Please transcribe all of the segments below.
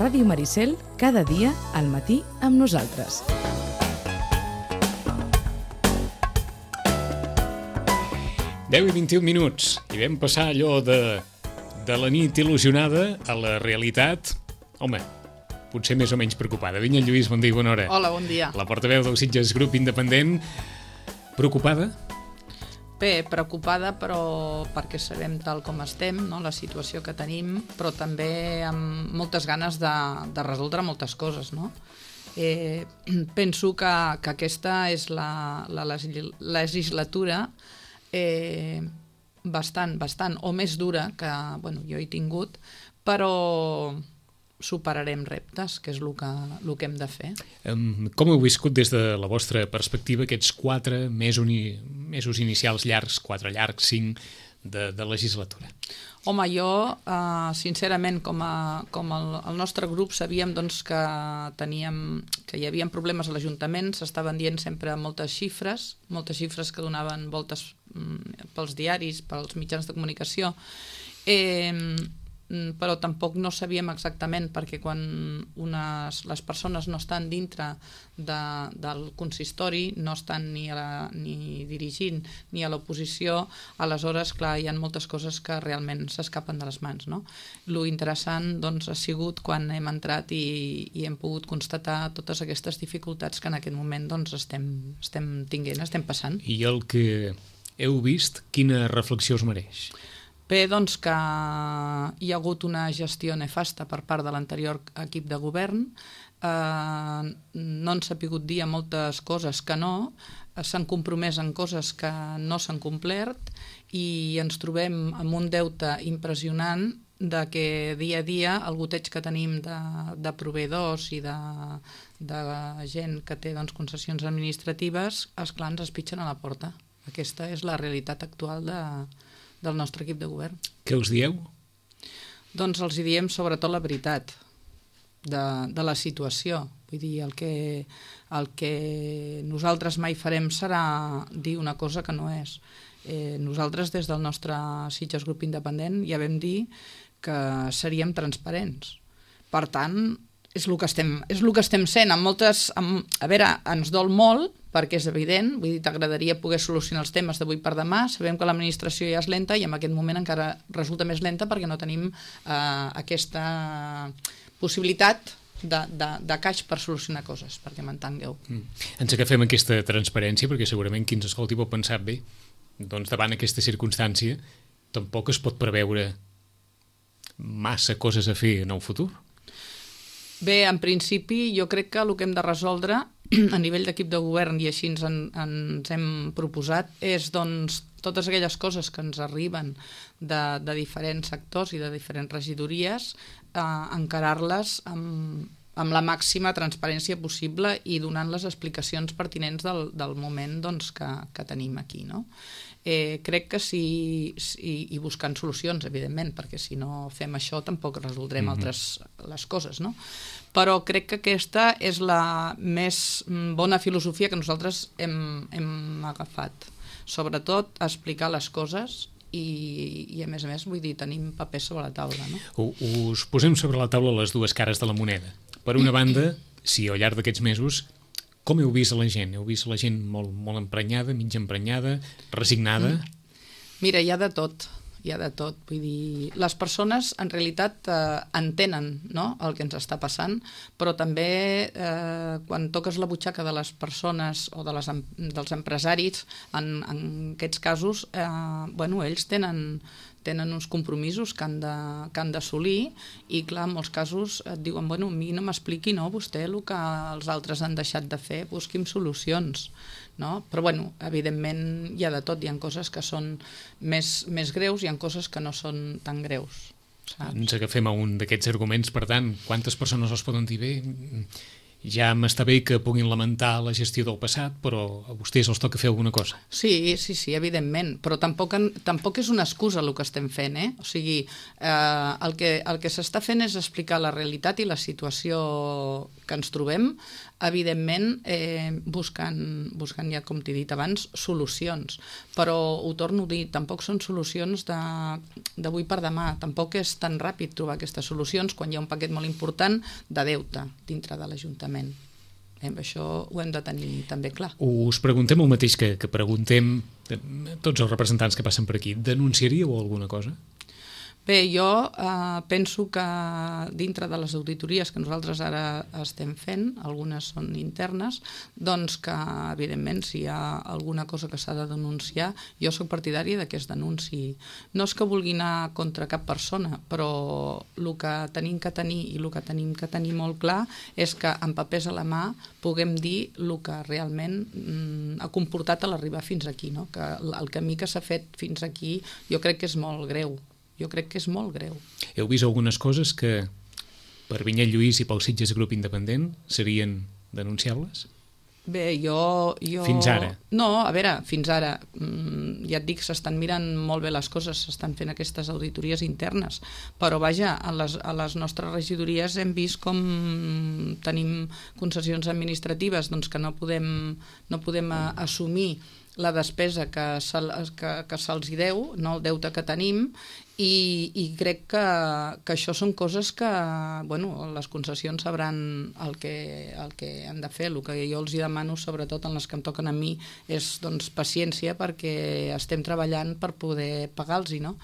Ràdio Maricel, cada dia al matí amb nosaltres. Deu i 21 minuts, i vam passar allò de la nit il·lusionada a la realitat, home, potser més o menys preocupada. Vinya Lluís, bon dia i bona hora. Hola, bon dia. La portaveu del Sitges Grup Independent, preocupada? Bé, preocupada, però perquè sabem tal com estem, no? La situació que tenim, però també amb moltes ganes de resoldre moltes coses, no? Penso que aquesta és la legislatura bastant o més dura que jo he tingut, però superarem reptes, que és el que hem de fer. Com heu viscut des de la vostra perspectiva aquests 4 mesos inicials llargs, 4 llargs, 5 de legislatura? Home, jo, sincerament, com el nostre grup sabíem que hi havia problemes a l'Ajuntament, s'estaven dient sempre moltes xifres que donaven voltes pels diaris, pels mitjans de comunicació, però tampoc no sabíem exactament, perquè quan les persones no estan dintre del consistori, no estan ni dirigint ni a l'oposició, aleshores, clar, hi ha moltes coses que realment s'escapen de les mans, no? Lo interessant, doncs, ha sigut quan hem entrat i hem pogut constatar totes aquestes dificultats que en aquest moment, doncs, estem tinguent, estem passant. I el que heu vist, quina reflexió us mereix? Bé, doncs que hi ha hagut una gestió nefasta per part de l'anterior equip de govern, no han sapigut dir moltes coses que no, s'han compromès en coses que no s'han complert i ens trobem amb un deute impressionant de que dia a dia el goteig que tenim de proveïdors i de gent que té concessions administratives, esclar, ens espitxen a la porta. Aquesta és la realitat actual del nostre equip de govern. Què us dieu? Doncs els diem sobretot la veritat de la situació. Vull dir, el que nosaltres mai farem serà dir una cosa que no és. Nosaltres, des del nostre Sitges Grup Independent, ja vam dir que seríem transparents. Per tant, és el que estem sent. A veure, ens dol molt, perquè és evident, vull dir, t'agradaria poder solucionar els temes d'avui per demà, sabem que l'administració ja és lenta i en aquest moment encara resulta més lenta perquè no tenim aquesta possibilitat de caix per solucionar coses, perquè m'entengueu. Ens agafem aquesta transparència perquè segurament qui ens escolti pot pensar bé, doncs davant aquesta circumstància tampoc es pot preveure massa coses a fer en el futur. Bé, en principi jo crec que el que hem de resoldre a nivell d'equip de govern, i així ens hem proposat, és doncs totes aquelles coses que ens arriben de diferents sectors i de diferents regidories, encarar-les amb la màxima transparència possible i donant les explicacions pertinents del moment que tenim aquí, no? Crec que sí, i buscant solucions, evidentment, perquè si no fem això tampoc resoldrem les coses, no? Però crec que aquesta és la més bona filosofia que nosaltres hem agafat. Sobretot, explicar les coses i a més, vull dir, tenim papers sobre la taula, no? Us posem sobre la taula les dues cares de la moneda. Per una banda, si al llarg d'aquests mesos, com heu vist a la gent? Heu vist la gent molt, molt emprenyada, mig emprenyada, resignada? Mira, hi ha de tot. Vull dir, les persones en realitat entenen, no?, el que ens està passant, però també quan toques la butxaca de les persones o dels empresaris, en aquests casos, ells tenen uns compromisos que han d'assolir i, clar, en molts casos et diuen, a mi no m'expliqui, no, vostè el que els altres han deixat de fer, busqui'm solucions, no? Però, evidentment hi ha de tot, hi ha coses que són més greus, hi ha coses que no són tan greus, saps? Ens agafem a un d'aquests arguments, per tant, quantes persones els poden dir bé? ja m'està bé que puguin lamentar la gestió del passat, però a vostès els toca fer alguna cosa. Sí, evidentment, però tampoc és una excusa el que estem fent, O sigui, el que s'està fent és explicar la realitat i la situació que ens trobem, evidentment buscant ja, com t'he dit abans, solucions. Però ho torno a dir, tampoc són solucions d'avui per demà, tampoc és tan ràpid trobar aquestes solucions quan hi ha un paquet molt important de deute dintre de l'Ajuntament. Això ho hem de tenir també clar. Us preguntem el mateix que preguntem tots els representants que passen per aquí. Denunciaríeu alguna cosa? Bé, jo penso que dintre de les auditories que nosaltres ara estem fent, algunes són internes, doncs que, evidentment, si hi ha alguna cosa que s'ha de denunciar, jo soc partidària que es denunciï. No és que vulgui anar contra cap persona, però el que tenim que tenir i el que tenim que tenir molt clar és que amb papers a la mà puguem dir el que realment ha comportat a l'arribar fins aquí, no? Que el camí que s'ha fet fins aquí jo crec que és molt greu. Jo crec que és molt greu. Heu vist algunes coses que per Vinyet Lluís i pel Sitges Grup Independent serien denunciables? Bé, jo... Fins ara? No, a veure, fins ara. Ja et dic, s'estan mirant molt bé les coses, s'estan fent aquestes auditories internes, però vaja, a les nostres regidories hem vist com tenim concessions administratives doncs que no podem assumir la despesa que se'ls deu, no el deute que tenim, i crec que això són coses que les concessions sabran el que han de fer. El que jo els demano, sobretot en les que em toquen a mi, és paciència, perquè estem treballant per poder pagar-los, no?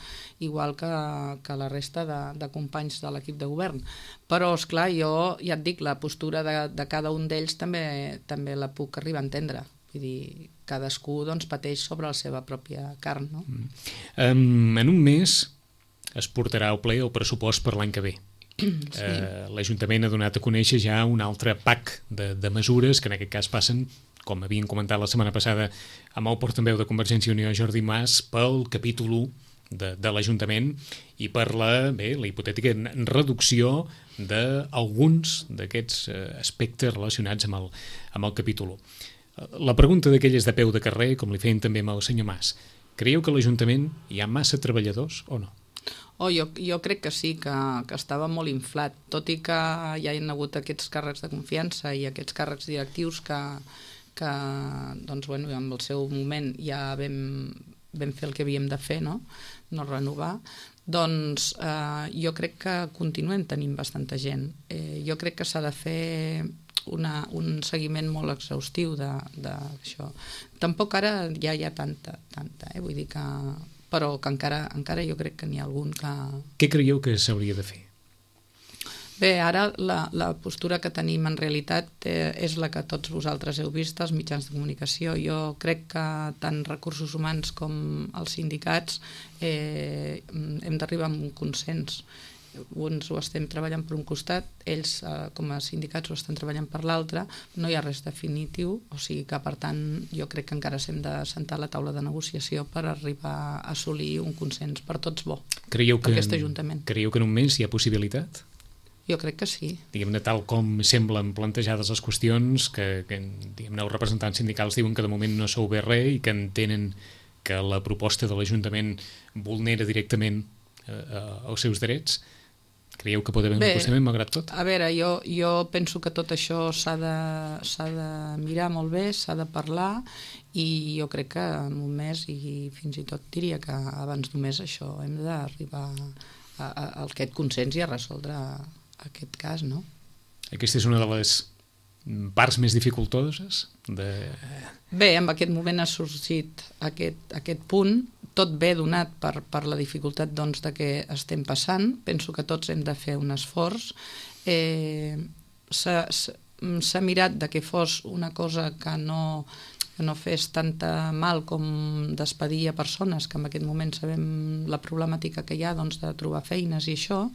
Igual que la resta de companys de l'equip de govern. Però, esclar, jo ja et dic, la postura de cada un d'ells també la puc arribar a entendre. Vull dir, cadascú pateix sobre la seva pròpia carn, no? En un mes es portarà al ple el pressupost per l'any que ve. Sí. L'Ajuntament ha donat a conèixer ja un altre pack de mesures que en aquest cas passen, com havien comentat la setmana passada amb el portaveu de Convergència i Unió, Jordi Mas, pel capítol 1 de l'Ajuntament i per la hipotètica reducció d'alguns d'aquests aspectes relacionats amb el capítol 1. La pregunta d'aquelles de peu de carrer, com li feien també amb el senyor Mas, creieu que a l'Ajuntament hi ha massa treballadors o no? Jo crec que sí, que estava molt inflat, tot i que hi ha hagut aquests càrrecs de confiança i aquests càrrecs directius que en el seu moment ja vam fer el que havíem de fer, no renovar, doncs jo crec que continuem tenint bastanta gent. Jo crec que s'ha de fer un seguiment molt exhaustiu d'això. Tampoc ara ja hi ha tanta, vull dir que... però que encara jo crec que n'hi ha algun que... Què creieu que s'hauria de fer? Bé, ara la postura que tenim en realitat és la que tots vosaltres heu vist als mitjans de comunicació. Jo crec que tant recursos humans com els sindicats hem d'arribar a un consens. Uns ho estem treballant per un costat, ells com a sindicats ho estan treballant per l'altre, no hi ha res definitiu, o sigui que per tant jo crec que encara s'hem de sentar a la taula de negociació per arribar a assolir un consens per tots bo per aquest Ajuntament. Creieu que en un mes hi ha possibilitat? Jo crec que sí. Diguem-ne, tal com semblen plantejades les qüestions, que diguem-ne, els representants sindicals diuen que de moment no s'ha obert res i que entenen que la proposta de l'Ajuntament vulnera directament els seus drets. Creieu que pot haver un acostament malgrat tot? A veure, jo penso que tot això s'ha de mirar molt bé, s'ha de parlar, i jo crec que en un mes, i fins i tot diria que abans d'un mes, això hem d'arribar a aquest consens i a resoldre aquest cas, no? Aquesta és una de les parts més dificultoses? Bé, en aquest moment ha sorgit aquest punt, tot ve donat per la dificultat de què estem passant. Penso que tots hem de fer un esforç. S'ha mirat que fos una cosa que no fes tanta mal com despedir a persones, que en aquest moment sabem la problemàtica que hi ha de trobar feines i això,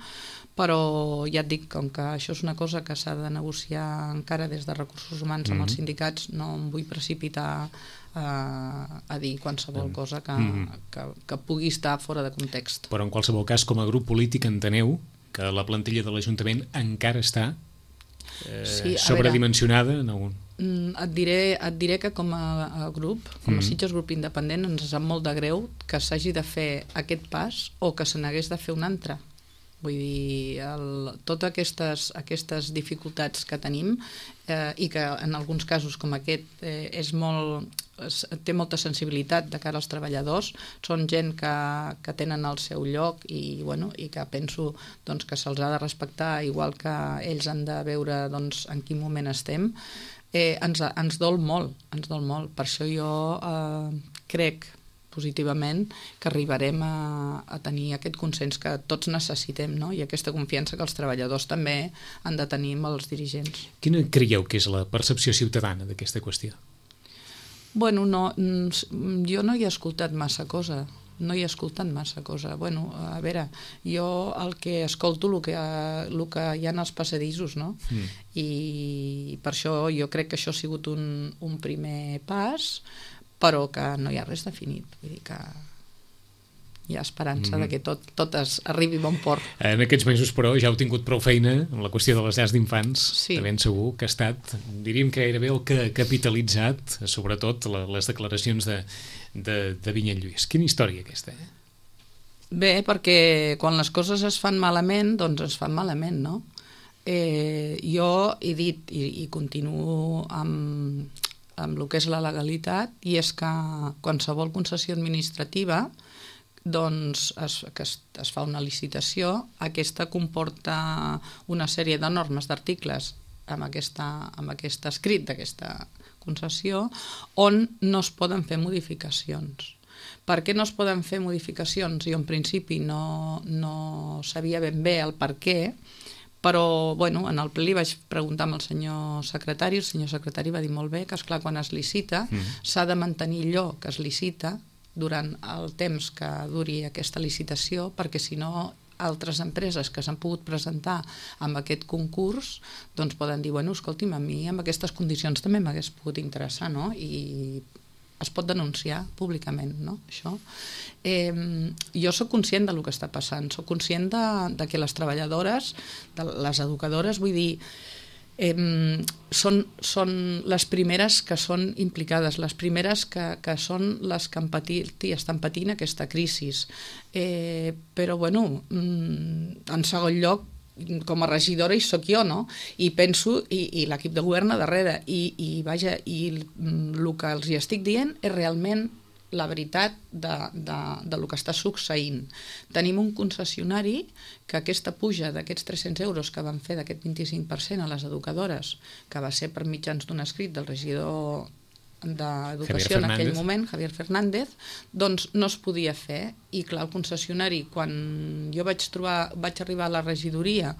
però ja et dic, com que això és una cosa que s'ha de negociar encara des de recursos humans amb els sindicats, no em vull precipitar a dir qualsevol cosa que pugui estar fora de context. Però en qualsevol cas, com a grup polític enteneu que la plantilla de l'Ajuntament encara està sobredimensionada en algun... Et diré que com a grup, com a Sitges Grup Independent, ens sap molt de greu que s'hagi de fer aquest pas o que se n'hagués de fer un altre. Vull dir, totes aquestes dificultats que tenim i que en alguns casos com aquest té molta sensibilitat de cara als treballadors, són gent que tenen el seu lloc i que penso que se'ls ha de respectar igual que ells han de veure en quin moment estem. Ens dol molt. Per això jo crec positivament que arribarem a tenir aquest consens que tots necessitem, no? I aquesta confiança que els treballadors també han de tenir amb els dirigents. Quina creieu que és la percepció ciutadana d'aquesta qüestió? Bueno, jo no hi he escoltat massa cosa. Bueno, a veure, jo el que escolto el que hi ha als passadissos, no? I per això jo crec que això ha sigut un primer pas, però que no hi ha res definit. Vull dir que hi ha esperança de que tot arribi a bon port. En aquests mesos, però, ja heu tingut prou feina amb la qüestió de les llars d'infants. Sí. De ben segur que ha estat, diríem que gairebé el que ha capitalitzat, sobretot, les declaracions de Vinyet Lluís. Quina història aquesta, Bé, perquè quan les coses es fan malament, doncs es fan malament, no? Jo he dit i continuo amb el que és la legalitat, i és que qualsevol concessió administrativa que es fa una licitació, aquesta comporta una sèrie de normes, d'articles amb aquest escrit d'aquesta concessió on no es poden fer modificacions. Per què no es poden fer modificacions? Jo en principi no sabia ben bé el per què, però en el ple li vaig preguntar al senyor secretari, el senyor secretari va dir molt bé que esclar, quan es licita s'ha de mantenir allò que es licita durant el temps que duri aquesta licitació, perquè si no altres empreses que s'han pogut presentar amb aquest concurs doncs poden dir, escolti'm, a mi amb aquestes condicions també m'hagués pogut interessar, no? I es pot denunciar públicament, no? Això. Jo soc conscient del que està passant, soc conscient de que les treballadores, les educadores, vull dir, són les primeres que són implicades, les primeres que són les que estan patint aquesta crisi. Però, en segon lloc, com a regidora hi soc jo, no? I penso, i l'equip de govern a darrere, i el que els hi estic dient és realment la veritat del que està succeint. Tenim un concessionari que aquesta puja d'aquests 300 euros que van fer d'aquest 25% a les educadores, que va ser per mitjans d'un escrit del regidor d'Educació en aquell moment, Javier Fernández, doncs no es podia fer. I clar, el concessionari, quan jo vaig arribar a la regidoria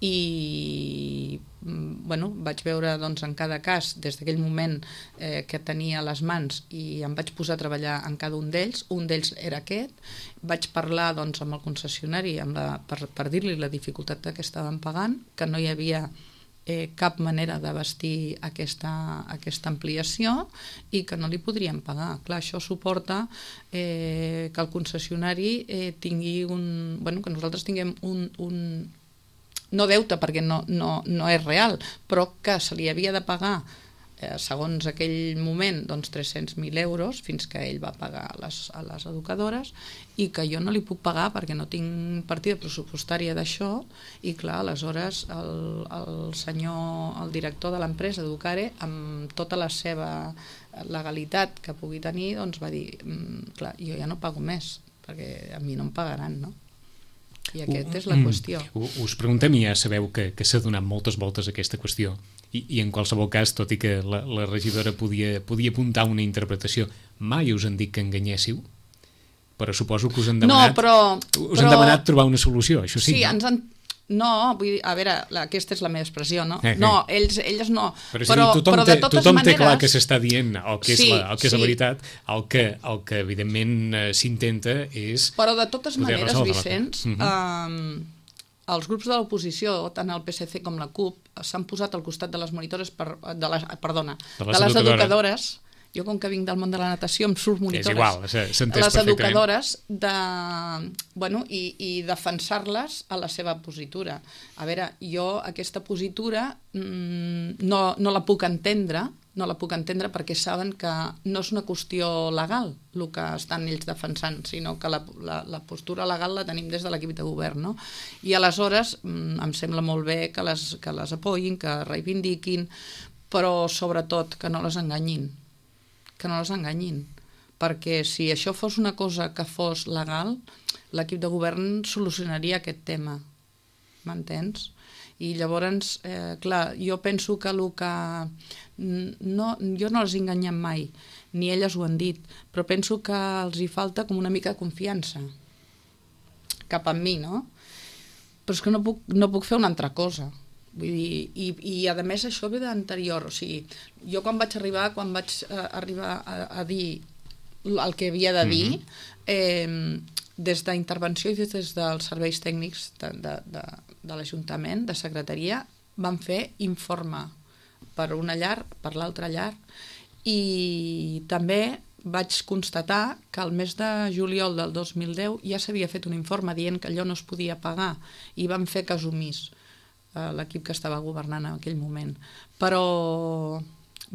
i vaig veure en cada cas, des d'aquell moment que tenia a les mans, i em vaig posar a treballar en cada un d'ells era aquest, vaig parlar amb el concessionari per dir-li la dificultat que estaven pagant, que no hi havia cap manera de vestir aquesta ampliació i que no li podrien pagar. Clar, això suporta que el concessionari tingui que nosaltres tinguem no deute, perquè no és real, però que se li havia de pagar segons aquell moment 300.000 euros fins que ell va pagar a les educadores, i que jo no li puc pagar perquè no tinc partida pressupostària d'això. I clar, aleshores el director de l'empresa Educare, amb tota la seva legalitat que pugui tenir, doncs va dir, clar, jo ja no pago més perquè a mi no em pagaran, no? I aquesta és la qüestió. Us preguntem, i ja sabeu que s'ha donat moltes voltes a aquesta qüestió, i en qualsevol cas, tot i que la regidora podia apuntar una interpretació, mai us han dit que enganyéssiu? Però suposo que us han demanat trobar una solució, això sí. Sí, no, vull dir, a veure, aquesta és la meva expressió, no? No, elles no. Però tothom té clar que s'està dient el que és la veritat, el que evidentment s'intenta és... Però de totes maneres, Vicenç, els grups de l'oposició, tant el PSC com la CUP, s'han posat al costat de les monitores, de les educadores, Jo, com que vinc del món de la natació, em surt monitores. És igual, s'entès les perfectament. educadores i defensar-les a la seva positura. A veure, jo aquesta positura no la puc entendre, perquè saben que no és una qüestió legal el que estan ells defensant, sinó que la postura legal la tenim des de l'equip de govern, no? I aleshores em sembla molt bé que les apoyin, que reivindiquin, però sobretot que no les enganyin, perquè si això fos una cosa que fos legal, l'equip de govern solucionaria aquest tema, m'entens? I llavors, clar, jo penso que jo no les he enganyat mai, ni elles ho han dit, però penso que els hi falta com una mica de confiança cap a mi, no? Però és que no puc fer una altra cosa. Vull dir, i a més això ve d'anterior, o sigui, jo quan vaig arribar a dir el que havia de dir, des d'intervenció i des dels serveis tècnics de l'Ajuntament, de secretaria, van fer informe per una llar, per l'altra llar, i també vaig constatar que el mes de juliol del 2010 ja s'havia fet un informe dient que allò no es podia pagar i van fer cas omís l'equip que estava governant en aquell moment, però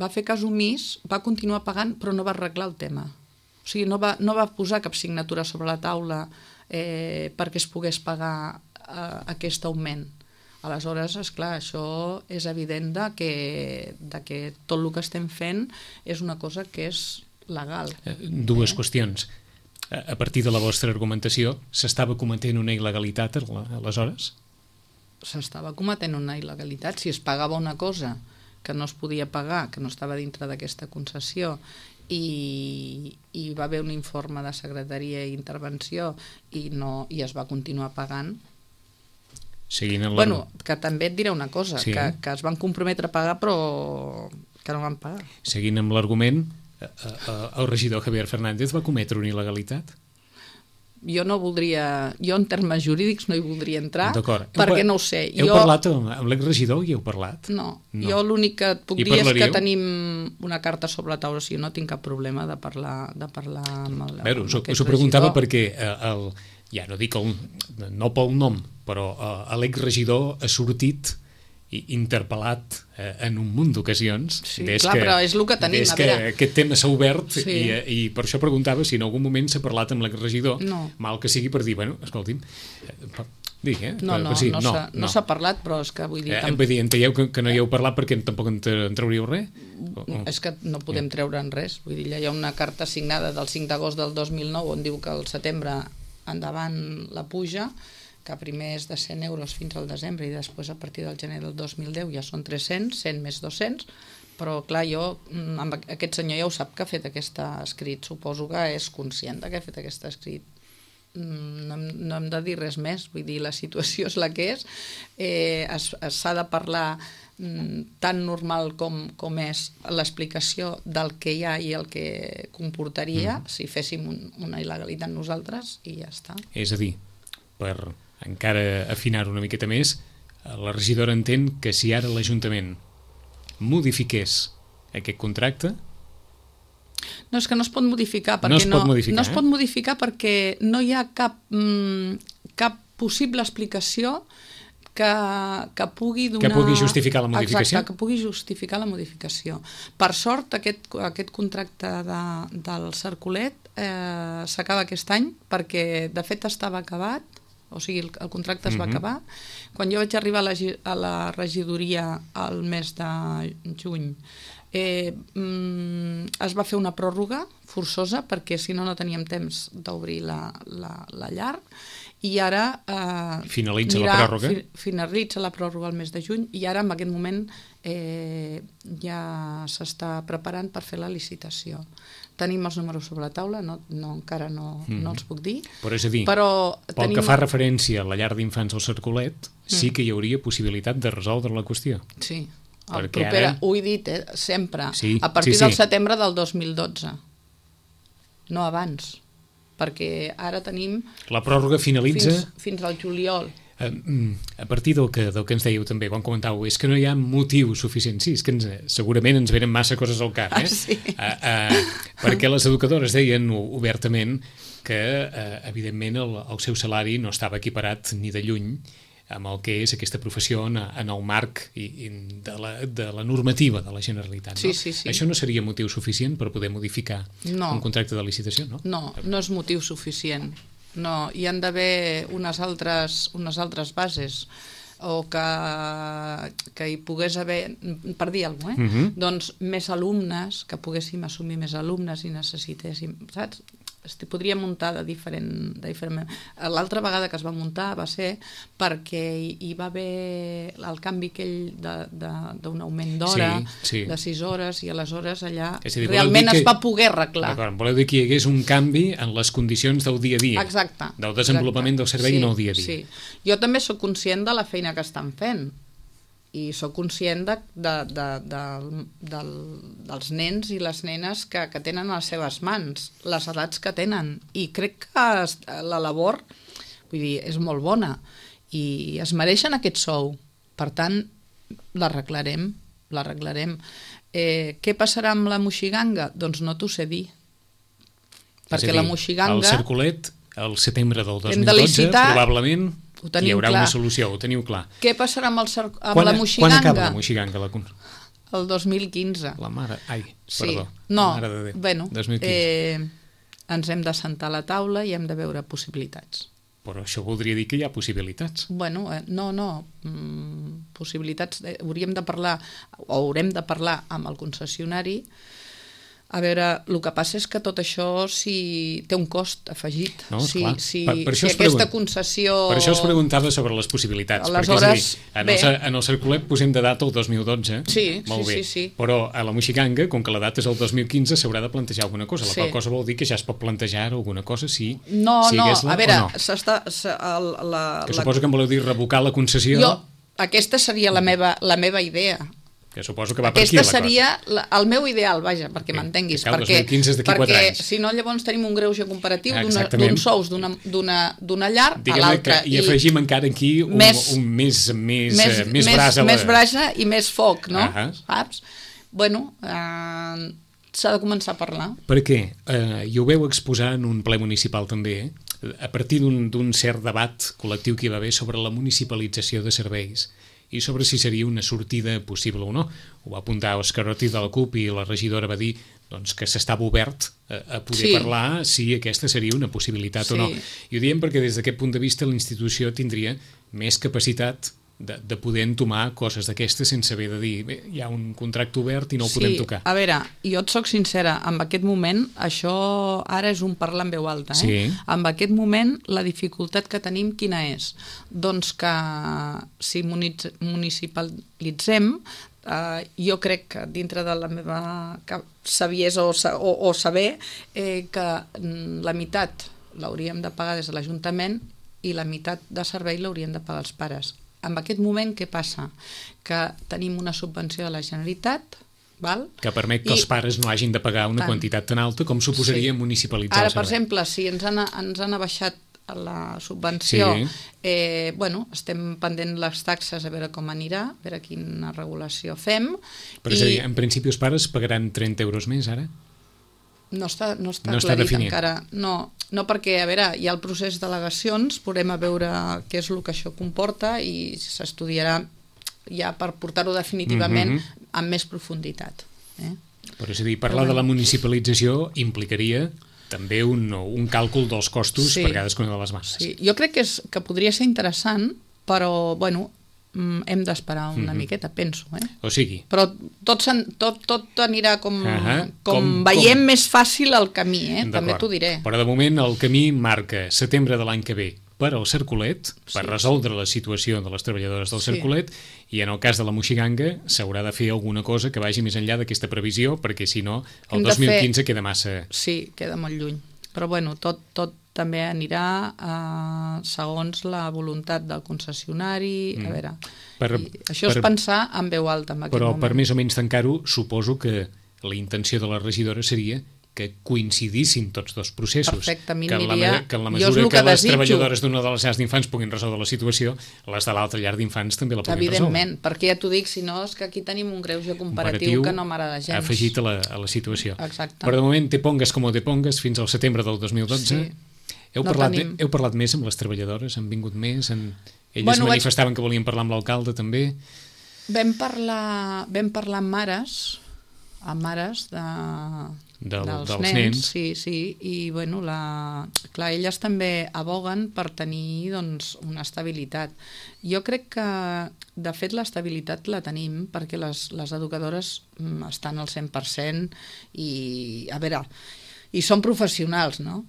va fer cas omís, va continuar pagant però no va arreglar el tema, o sigui, no va posar cap signatura sobre la taula perquè es pogués pagar aquest augment. Aleshores, esclar, això és evident que tot el que estem fent és una cosa que és legal. Dues qüestions. A partir de la vostra argumentació, s'estava cometent una il·legalitat aleshores? S'estava cometent una il·legalitat. Si es pagava una cosa que no es podia pagar, que no estava dintre d'aquesta concessió, i va haver un informe de secretaria i intervenció i es va continuar pagant. Bueno, que també et diré una cosa, sí, que es van comprometre a pagar però que no van pagar. Seguint amb l'argument, el regidor Javier Fernández va cometre una il·legalitat? Jo en termes jurídics no hi voldria entrar, perquè no ho sé. Heu parlat amb l'exregidor i heu parlat? No, jo l'únic que et puc dir és que tenim una carta sobre la taula, o sigui, no tinc cap problema de parlar amb aquest regidor. Us ho preguntava perquè, ja no dic no pel nom, però l'exregidor ha sortit interpel·lat en un munt d'ocasions. Sí, clar, però és el que tenim. Des que aquest tema s'ha obert i per això preguntava si en algun moment s'ha parlat amb l'exregidor, mal que sigui per dir, bueno, escolti'm, dic, no s'ha parlat, però és que vull dir... Enteieu que no hi heu parlat perquè tampoc en trauríeu res? És que no podem treure'n res. Vull dir, hi ha una carta signada del 5 d'agost del 2009 on diu que al setembre endavant la puja, que primer és de 100 euros fins al desembre i després a partir del gener del 2010 ja són 300, 100 més 200, però clar, aquest senyor ja ho sap que ha fet aquest escrit, suposo que és conscient que ha fet aquest escrit. No hem de dir res més, vull dir, la situació és la que és, s'ha de parlar tan normal com és l'explicació del que hi ha i el que comportaria si féssim una il·legalitat nosaltres i ja està. És a dir, per encara afinar-ho una miqueta més, la regidora entén que si ara l'Ajuntament modifiqués aquest contracte... No, és que no es pot modificar perquè no es pot modificar perquè no hi ha cap possible explicació que pugui donar... Que pugui justificar la modificació. Exacte, que pugui justificar la modificació. Per sort, aquest contracte del Cercolet s'acaba aquest any perquè, de fet, estava acabat, o sigui, el contracte es va acabar. Quan jo vaig arribar a la regidoria al mes de juny, es va fer una pròrroga forçosa perquè si no teníem temps d'obrir la llar i ara finalitza la pròrroga. Finalitza la pròrroga al mes de juny i ara en aquest moment ja s'està preparant per fer la licitació. Tenim els números sobre la taula, encara no els puc dir. Però és a dir, pel que fa referència a la llar d'infants del Cercolet, sí que hi hauria possibilitat de resoldre la qüestió. Sí, ho he dit sempre, a partir del setembre del 2012, no abans, perquè ara tenim... La pròrroga finalitza... Fins al juliol. A partir del que ens dèieu també, quan comentàveu, és que no hi ha motiu suficient. Sí, és que segurament ens venen massa coses al cap, Sí. Perquè les educadores deien obertament que, evidentment, el seu salari no estava equiparat ni de lluny amb el que és aquesta professió en el marc de la normativa de la Generalitat. No? Sí. Això no seria motiu suficient per poder modificar un contracte de licitació, no? No és motiu suficient. No, hi han d'haver unes altres bases o que hi pogués haver, per dir alguna cosa, doncs més alumnes, que poguéssim assumir més alumnes i necessitéssim, saps? Podria muntar de diferent... L'altra vegada que es va muntar va ser perquè hi va haver el canvi aquell d'un augment d'hora, de 6 hores, i aleshores allà realment es va poder arreglar. D'acord, voleu dir que hi hagués un canvi en les condicions del dia a dia. Exacte. Del desenvolupament del servei en el dia a dia. Sí. Jo també sóc conscient de la feina que estan fent i sóc conscient dels nens i les nenes que tenen a les seves mans, les edats que tenen, i crec que la labor, vull dir, és molt bona i es mereixen aquest sou. Per tant, l'arreglarem. Què passarà amb la moixiganga? Doncs no t'ho sé dir. Perquè la moixiganga... El circulet, al setembre del 2012, probablement... hi haurà una solució, ho teniu clar. Què passarà amb la moixiganga? Quan acaba la moixiganga? El 2015. La mare... Ai, sí. perdó. No, mare de Déu. Bueno, 2015. Ens hem de sentar a la taula i hem de veure possibilitats. Però això voldria dir que hi ha possibilitats. Bueno, no. Possibilitats... Haurem de parlar amb el concessionari. A veure, el que passa és que tot això té un cost afegit. No, si aquesta concessió... Per això us preguntava sobre les possibilitats. Aleshores, perquè, és a dir, en el circulet posem de data el 2012. Sí. Però a la moixiganga, com que la data és el 2015, s'haurà de plantejar alguna cosa. La qual cosa vol dir que ja es pot plantejar alguna cosa si a veure, que suposo que em voleu dir revocar la concessió. Aquesta seria la meva idea. Que suposo que va per aquí la cosa. Aquesta seria el meu ideal, vaja, perquè m'entenguis. Que el 2015 és d'aquí 4 anys. Si no, llavors tenim un greuge comparatiu d'uns sous d'una llar a l'altra. I afegim encara aquí més brasa i més foc, no? Saps? Bueno, s'ha de començar a parlar. Perquè, i ho veu exposar en un ple municipal també, a partir d'un cert debat col·lectiu que hi va haver sobre la municipalització de serveis i sobre si seria una sortida possible o no. Ho va apuntar Òscar Ortiz de la CUP i la regidora va dir que s'estava obert a poder parlar si aquesta seria una possibilitat o no. I ho diem perquè des d'aquest punt de vista la institució tindria més capacitat de poder entomar coses d'aquestes sense haver de dir hi ha un contracte obert i no el podem tocar. A veure, jo et soc sincera, en aquest moment, això ara és un parlar en veu alta, en aquest moment la dificultat que tenim quina és? Doncs que si municipalitzem, jo crec que dintre de la meva saviesa o saber que la meitat l'hauríem de pagar des de l'Ajuntament i la meitat de servei l'haurien de pagar els pares. En aquest moment, què passa? Que tenim una subvenció de la Generalitat, que permet que els pares no hagin de pagar una quantitat tan alta com suposaria municipalitzar el servei. Ara, per exemple, si ens han abaixat la subvenció, estem pendent les taxes a veure com anirà, a veure quina regulació fem. Però és a dir, en principi els pares pagaran 30 euros més ara? No està aclarit encara. No, perquè, a veure, hi ha el procés d'al·legacions, podrem a veure què és el que això comporta i s'estudiarà ja per portar-ho definitivament amb més profunditat. Però és a dir, parlar de la municipalització implicaria també un càlcul dels costos per cadascuna de les masses. Sí, jo crec que podria ser interessant, però, bueno, hem d'esperar una miqueta, penso. O sigui... Però tot anirà com veiem més fàcil el camí, també t'ho diré. Però de moment el camí marca setembre de l'any que ve per al Circulet, per resoldre la situació de les treballadores del Circulet, i en el cas de la moixiganga s'haurà de fer alguna cosa que vagi més enllà d'aquesta previsió, perquè si no el 2015 queda massa... Sí, queda molt lluny. Però bueno, tot també anirà segons la voluntat del concessionari, a veure, això és pensar en veu alta en aquest moment. Però per més o menys tancar-ho, suposo que la intenció de la regidora seria que coincidissin tots dos processos. Perfecte, a mi que en la jo és mesura el que les desitjo. treballadores d'una de les llars d'infants puguin resoldre la situació, les de l'altra llar d'infants també la puguin resoldre. Evidentment, perquè ja t'ho dic, si no és que aquí tenim un greuge comparatiu que no m'agrada gens. Afegit a la situació. Exacte. Però de moment te pongues com te pongues fins al setembre del 2012. Sí. Heu parlat més amb les treballadores? Han vingut més? Elles manifestaven que volien parlar amb l'alcalde també? Vam parlar amb mares dels nens. Sí, i bueno, clar, elles també aboguen per tenir doncs, una estabilitat. Jo crec que, de fet, l'estabilitat la tenim perquè les educadores estan al 100% i, a veure, i són professionals, no?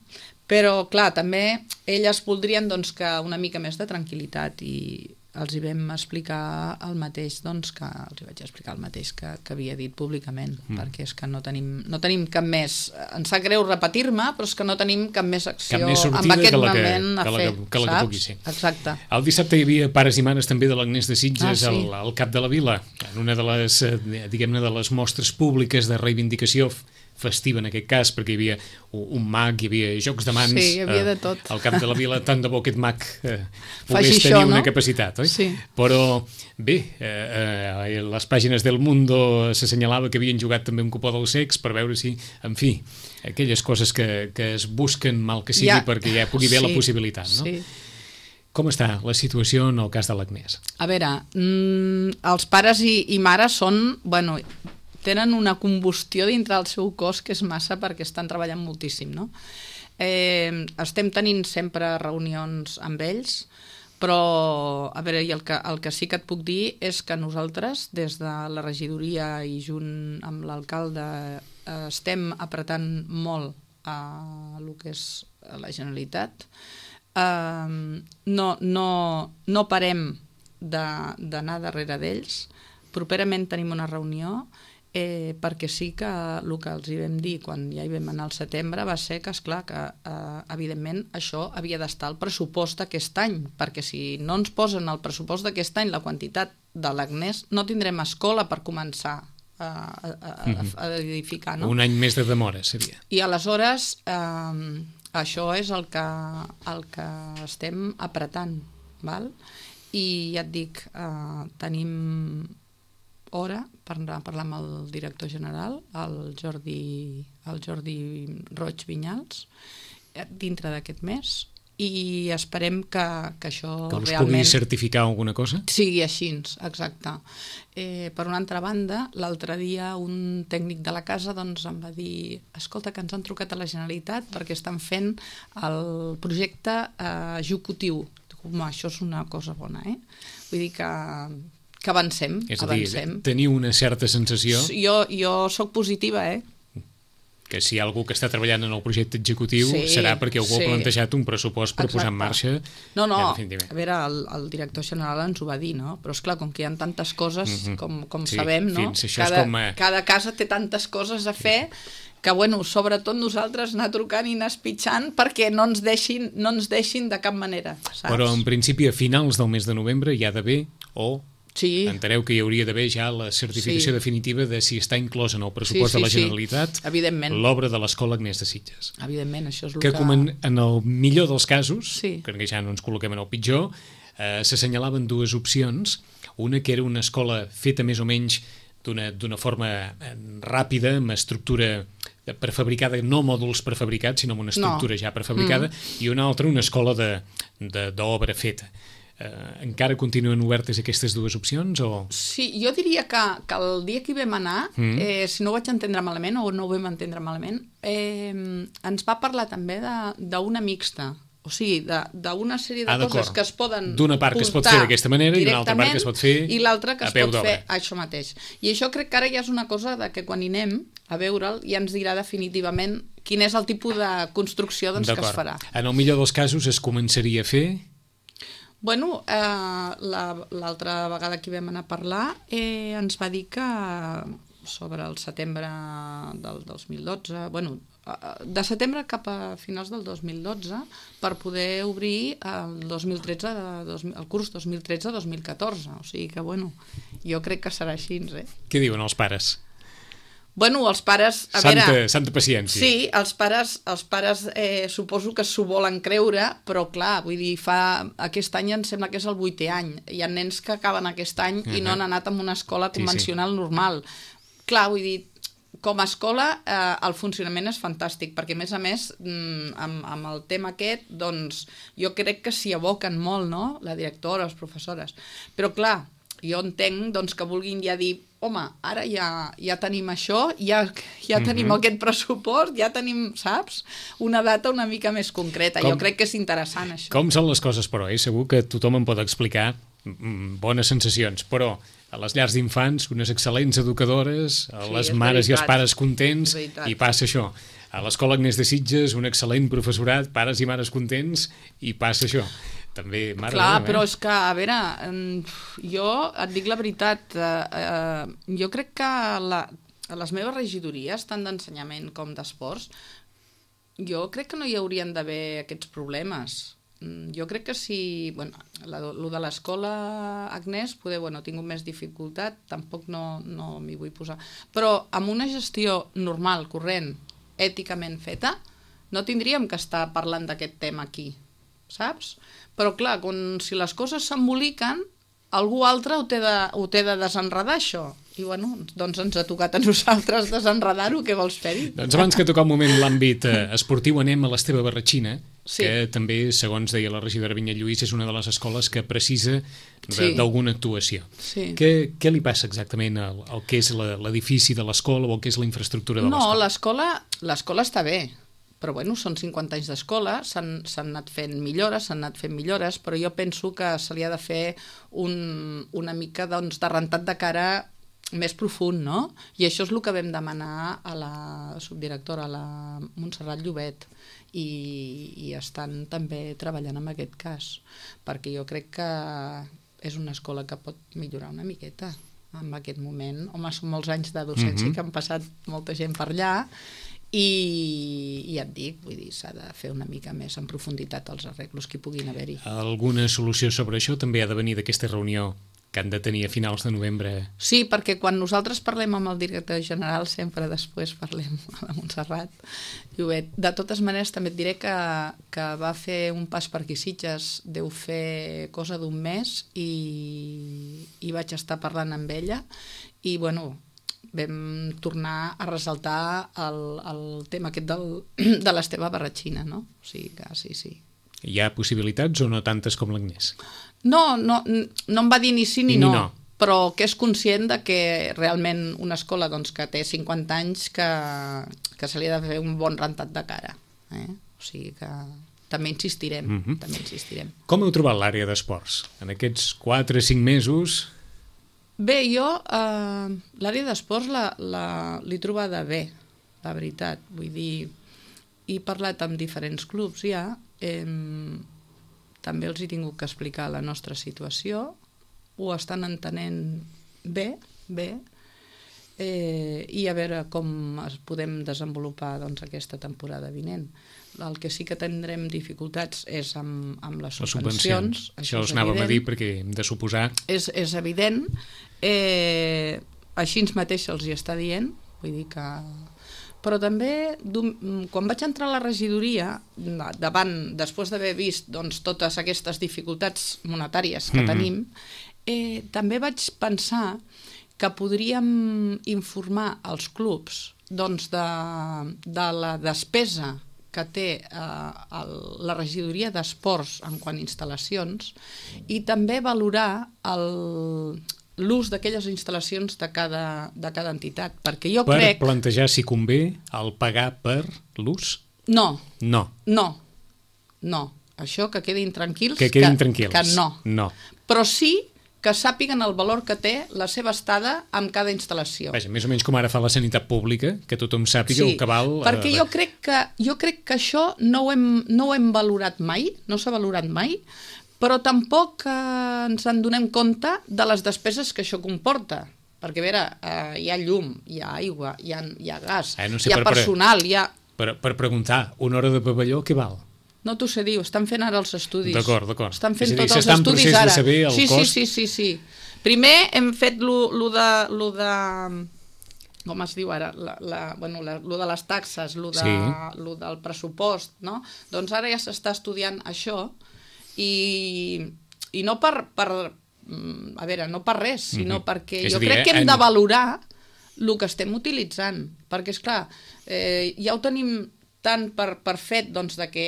Però, clar, també elles voldrien doncs, que una mica més de tranquil·litat i els hi vam explicar el mateix, doncs, que els hi vaig explicar el mateix que havia dit públicament, perquè és que no tenim cap més, em sap greu repetir-me, però és que no tenim cap més acció en aquest moment a fer, saps? Exacte. El dissabte hi havia pares i mares també de l'Agnès de Sitges al cap de la vila, en una de les, diguem-ne, de les mostres públiques de reivindicació festiva en aquest cas, perquè hi havia un mag, hi havia jocs de mans, hi havia de tot. al camp de la vila, tant de bo aquest mag pogués tenir una capacitat, oi? Sí. Però bé, les pàgines del Mundo s'assenyalava que havien jugat també un cupó del sex per veure si, en fi, aquelles coses que es busquen mal que sigui perquè ja pugui haver la possibilitat, no? Sí. Com està la situació en el cas de l'Agnès? A veure, els pares i mares són, bueno, tenen una combustió dintre del seu cos que és massa perquè estan treballant moltíssim, no? Estem tenint sempre reunions amb ells, però, a veure, el que sí que et puc dir és que nosaltres, des de la regidoria i junt amb l'alcalde, estem apretant molt a el que és la Generalitat. No parem d'anar darrere d'ells. Properament tenim una reunió perquè sí que el que els hi vam dir quan ja hi vam anar al setembre va ser que, esclar, que evidentment això havia d'estar al pressupost d'aquest any, perquè si no ens posen al pressupost d'aquest any la quantitat de l'Agnès, no tindrem escola per començar a edificar, no? Un any més de demora seria. I aleshores això és el que estem apretant, val? I ja et dic, tenim hora per anar a parlar amb el director general, el Jordi Roig Vinyals, dintre d'aquest mes, i esperem que això que us realment pugui certificar alguna cosa? Sigui així, exacte. Per una altra banda, l'altre dia un tècnic de la casa doncs, em va dir escolta, que ens han trucat a la Generalitat perquè estan fent el projecte executiu. Home, això és una cosa bona, Vull dir que avancem. És a dir, teniu una certa sensació... Jo soc positiva, que si hi ha algú que està treballant en el projecte executiu serà perquè algú ha plantejat un pressupost per posar en marxa. No, a veure, el director general ens ho va dir, no? Però esclar, com que hi ha tantes coses, com sabem, no? Cada casa té tantes coses a fer que, bueno, sobretot nosaltres anar trucant i anar espitxant perquè no ens deixin de cap manera, saps? Però en principi a finals del mes de novembre hi ha d'haver enteneu que hi hauria d'haver ja la certificació definitiva de si està inclòs en el pressupost de la Generalitat l'obra de l'Escola Agnès de Sitges. Evidentment, això és el que... En el millor dels casos, que ja no ens col·loquem en el pitjor, s'assenyalaven dues opcions. Una que era una escola feta més o menys d'una forma ràpida, amb estructura prefabricada, no mòduls prefabricats, sinó amb una estructura ja prefabricada, i una altra, una escola d'obra feta. Encara continuen obertes aquestes dues opcions? Sí, jo diria que el dia que hi vam anar, si no ho vaig entendre malament o no ho vam entendre malament, ens va parlar també d'una mixta. O sigui, d'una sèrie de coses que es poden d'una part que es pot fer d'aquesta manera i d'una altra part que es pot fer i l'altra que es pot fer això mateix. I això crec que ara ja és una cosa que quan hi anem a veure'l ja ens dirà definitivament quin és el tipus de construcció que es farà. En el millor dels casos es començaria a fer? Bueno, l'altra vegada que vam anar a parlar ens va dir que sobre el setembre del 2012, bueno, de setembre cap a finals del 2012 per poder obrir el curs 2013-2014. O sigui que, bueno, jo crec que serà així, Què diuen els pares? Bueno, els pares... Santa paciència. Sí, els pares suposo que s'ho volen creure, però clar, vull dir, aquest any em sembla que és el 8è any. Hi ha nens que acaben aquest any i no han anat a una escola convencional normal. Clar, vull dir, com a escola el funcionament és fantàstic, perquè a més, amb el tema aquest, doncs, jo crec que s'hi aboquen molt, no?, la directora, les professores. Però clar, jo entenc doncs, que vulguin ja dir home, ara ja tenim això, ja tenim aquest pressupost, ja tenim, saps? Una data una mica més concreta. Jo crec que és interessant, això. Com són les coses, però? Segur que tothom em pot explicar bones sensacions, però a les llars d'infants, unes excel·lents educadores, a les mares i els pares contents, i passa això. A l'Escola Agnès de Sitges, un excel·lent professorat, pares i mares contents, i passa això. També, mare clar, meva, però és que, a veure, jo et dic la veritat, jo crec que a les meves regidories, tant d'ensenyament com d'esports, jo crec que no hi haurien d'haver aquests problemes. Jo crec que si... Bueno, el de l'escola Agnès, poder, bueno, he tingut més dificultat, tampoc no m'hi vull posar. Però amb una gestió normal, corrent, èticament feta, no tindríem que estar parlant d'aquest tema aquí, saps? Però clar, si les coses s'emboliquen, algú altre ho té de desenredar, això. I bueno, doncs ens ha tocat a nosaltres desenredar-ho, què vols fer-hi? Doncs abans que tocar un moment l'àmbit esportiu, anem a l'Esteve Barratxina, que també, segons deia la regidora Vinyet Lluís, és una de les escoles que precisa d'alguna actuació. Què li passa exactament al que és l'edifici de l'escola o el que és la infraestructura de l'escola? No, l'escola està bé. Però bueno, són 50 anys d'escola, s'han anat fent millores, però jo penso que se li ha de fer una mica doncs, de rentat de cara més profund, no? I això és el que vam demanar a la subdirectora, a la Montserrat Llobet, i estan també treballant en aquest cas, perquè jo crec que és una escola que pot millorar una miqueta en aquest moment. Home, són molts anys de docència que han passat molta gent per allà, i ja et dic, vull dir, s'ha de fer una mica més en profunditat els arreglos que hi puguin haver-hi. Alguna solució sobre això també ha de venir d'aquesta reunió que han de tenir a finals de novembre? Sí, perquè quan nosaltres parlem amb el director general sempre després parlem a la Montserrat Llobet. De totes maneres també et diré que va fer un pas per aquí Sitges, deu fer cosa d'un mes, i vaig estar parlant amb ella i bueno, vam tornar a ressaltar el tema aquest de l'Esteve Barratxina, no? O sigui que sí. Hi ha possibilitats o no tantes com l'Agnès? No em va dir ni sí ni no, però que és conscient de que realment una escola doncs, que té 50 anys que se li ha de fer un bon rentat de cara. O sigui que també insistirem. Com heu trobat l'àrea d'esports? En aquests 4 o 5 mesos... Bé, jo l'àrea d'esports l'he trobada bé, la veritat. Vull dir, he parlat amb diferents clubs ja, també els he tingut que explicar la nostra situació, ho estan entenent bé, i a veure com es podem desenvolupar doncs, aquesta temporada vinent. El que sí que tindrem dificultats és amb les subvencions. Això us anàvem a dir perquè hem de suposar... És evident. Així mateix els hi està dient, vull dir que... Però també, quan vaig entrar a la regidoria, després d'haver vist doncs, totes aquestes dificultats monetàries que tenim, també vaig pensar que podríem informar els clubs doncs, de la despesa que té la regidoria d'esports en quant a instal·lacions i també valorar l'ús d'aquelles instal·lacions de cada entitat. Perquè jo crec... Per plantejar si convé el pagar per l'ús? No. No. Això que quedin tranquils. Que quedin tranquils. Que no. Però sí que sàpiguen el valor que té la seva estada amb cada instal·lació. Vaja, més o menys com ara fa la sanitat pública, que tothom sàpiga el que val... Perquè jo crec que això no ho hem valorat mai, no s'ha valorat mai, però tampoc ens en donem compte de les despeses que això comporta. Perquè, a veure, hi ha llum, hi ha aigua, hi ha gas, hi ha personal, hi ha... Per preguntar, una hora de pavelló, què val? No t'ho sé dir, estan fent ara els estudis. D'acord. Estan fent tots els estudis ara. Sí. Primer hem fet lo de com es diu ara, lo de les taxes, lo del pressupost, no? Doncs ara ja s'està estudiant això i no no per res, sinó perquè jo crec que hem de valorar el que estem utilitzant, perquè, esclar, ja ho tenim tant per fet doncs, de que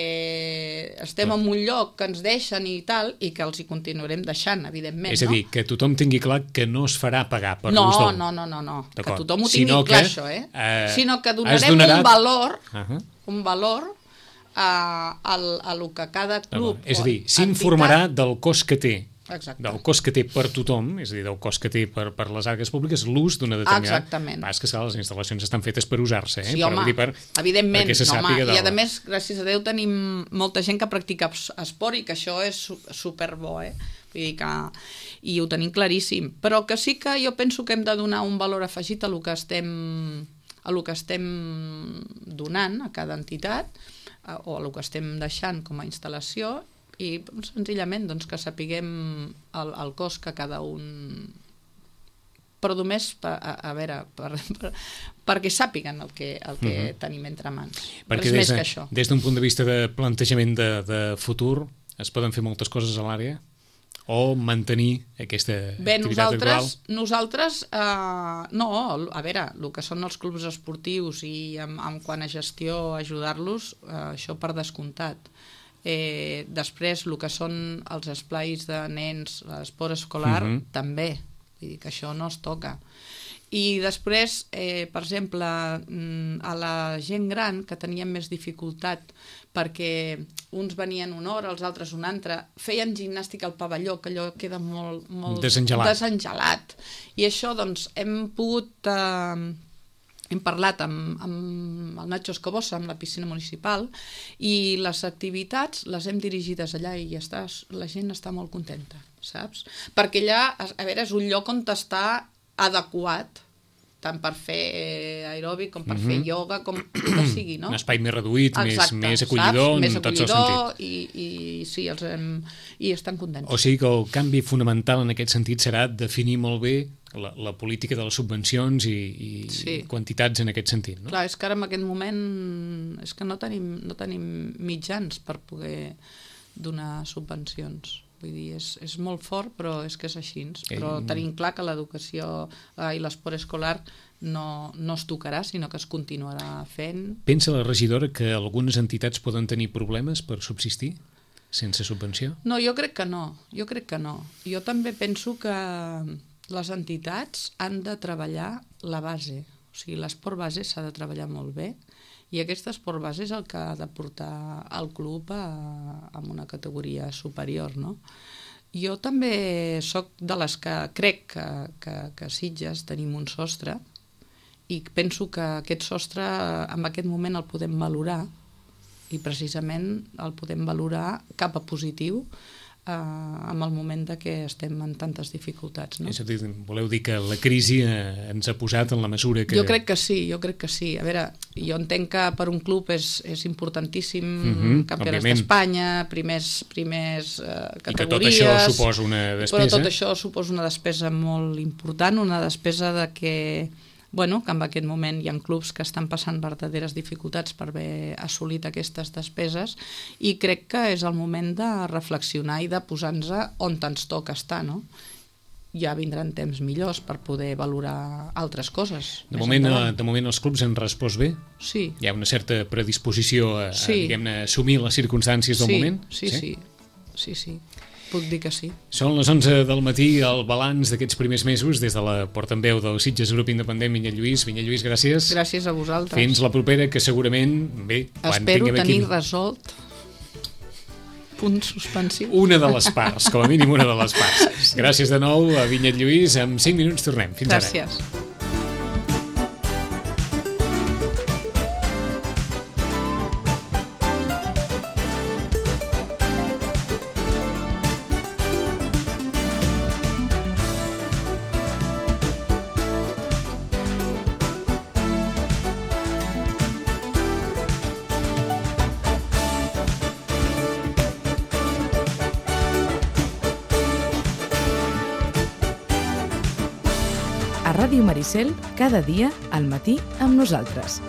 estem en un lloc que ens deixen i tal, i que els hi continuarem deixant, evidentment. És a dir, que tothom tingui clar que no es farà pagar per l'ús del... No. Que tothom ho tingui clar, això, sinó que donarem un valor a lo que cada club... És a dir, s'informarà del cost que té. Exacte. Del cost que té per tothom, és a dir, del cost que té per les arques públiques, l'ús d'una determinada... Exactament. És que les instal·lacions estan fetes per usar-se, Sí, home, evidentment. Perquè se sàpiga I a més, gràcies a Déu, tenim molta gent que practica esport i que això és superbo, Vull dir que... I ho tenim claríssim. Però que sí que jo penso que hem de donar un valor afegit a lo que estem donant a cada entitat o a lo que estem deixant com a instal·lació i senzillament doncs, que sapiguem el cost que cada un... Però només perquè sàpiguen el que tenim entre mans. Perquè més que això. Des d'un punt de vista de plantejament de futur es poden fer moltes coses a l'àrea o mantenir aquesta activitat actual? Nosaltres no, a veure, el que són els clubs esportius i en quant a gestió ajudar-los, això per descomptat. Després el que són els esplais de nens, l'esport escolar, també, vull dir que això no es toca. I després, per exemple, a la gent gran que tenien més dificultat perquè uns venien una hora, els altres una altra, feien gimnàstica al pavelló, que allò queda molt desengelat. I això, doncs, hem parlat amb el Nacho Escobosa, amb la piscina municipal, i les activitats les hem dirigides allà i la gent està molt contenta, saps? Perquè allà, a veure, és un lloc on està adequat, tant per fer aeròbic com per fer ioga, com que sigui, no? Un espai més reduït, més acollidor, en tots els sentits. I estan contents. O sigui que el canvi fonamental en aquest sentit serà definir molt bé la política de les subvencions i quantitats en aquest sentit, no? Clar, és que ara en aquest moment és que no tenim mitjans per poder donar subvencions. Vull dir, és molt fort, però és que és així. Però tenim clar que l'educació i l'esport escolar no es tocarà, sinó que es continuarà fent. Pensa la regidora que algunes entitats poden tenir problemes per subsistir sense subvenció? No, jo crec que no. Jo també penso que les entitats han de treballar la base. O sigui, l'esport base s'ha de treballar molt bé i aquest esport base és el que ha de portar el club a una categoria superior, no? Jo també sóc de les que crec que a Sitges tenim un sostre i penso que aquest sostre en aquest moment el podem valorar i precisament el podem valorar cap a positiu en el moment de que estem en tantes dificultats, no? És a dir, voleu dir que la crisi ens ha posat en la mesura que... Jo crec que sí. A veure, jo entenc que per un club és importantíssim campionats d'Espanya, primers categories... I que tot això suposa una despesa. Però tot això suposa una despesa molt important, una despesa de que que en aquest moment hi ha clubs que estan passant verdaderes dificultats per haver assolit aquestes despeses i crec que és el moment de reflexionar i de posar-nos on ens toca estar, no? Ja vindran temps millors per poder valorar altres coses. De moment els clubs han respost bé? Sí. Hi ha una certa predisposició a assumir les circumstàncies del moment? Sí. Puc dir que sí. Són les 11 del matí, el balanç d'aquests primers mesos des de la portaveu del Sitges Grup Independent, Vinyet Lluís. Vinyet Lluís, gràcies. Gràcies a vosaltres. Fins la propera, que segurament, espero tenir resolt punts suspensius. Una de les parts, com a mínim una de les parts. Gràcies de nou a Vinyet Lluís. En 5 minuts tornem. Fins ara. Gràcies. A Ràdio Maricel, cada dia al matí amb nosaltres.